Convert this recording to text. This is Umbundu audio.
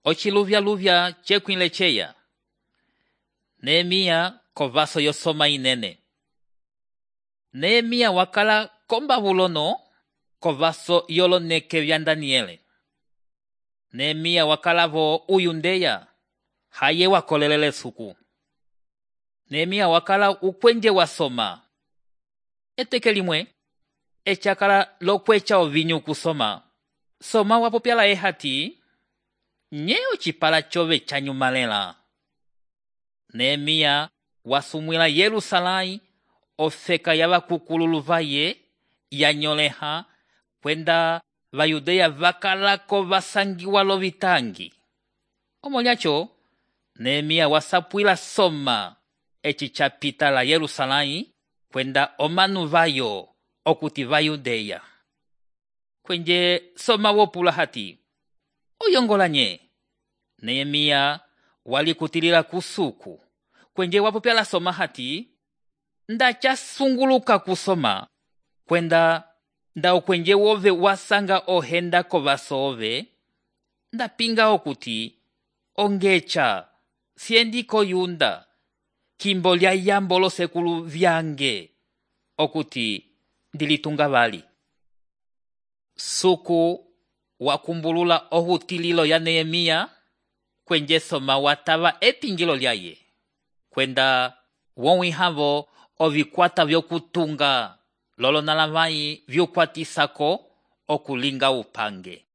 Ociluvya-luvya cekwile ceya. Neemiya kovaso yosoma inene. Neemiya wakala kombabulono kovaso yoloneke vya Daniele. Neemiya wakalavo uyundeya haye wakolelele suku. Neemiya wakala ukwenje wasoma. Eteke limwe echakala lokwecha ovinyu kusoma. Soma wapopyala ehati nye ocipala chove chanyumalela. Neemiya wasumwila Yerusalai ofeka yavakukululu vaye yanyoleha kwenda vayudeya vakalako vasangiwa lovitangi. Omolyacho Neemiya wasapwila soma eci chapita la Yerusalai kwenda omanu vayo okuti vayudeya. Kwenje soma wopula hati oyongola nye. Neemiya walikutilila kusuku. Kwenje wapopyala soma hati ndacha sunguluka kusoma kwenda nda okwenje wove wasanga ohenda kovaso ove ndapinga okuti ongecha siendi koyunda kimbo lya yambo losekulu vyange okuti ndilitunga vali. Suku wakumbulula ohutililo ya Neemiya kwenje soma watava epingilo lyaye kwenda wonwihavo ovikwata vyokutunga lolonalavai vyukwatisako okulinga upange.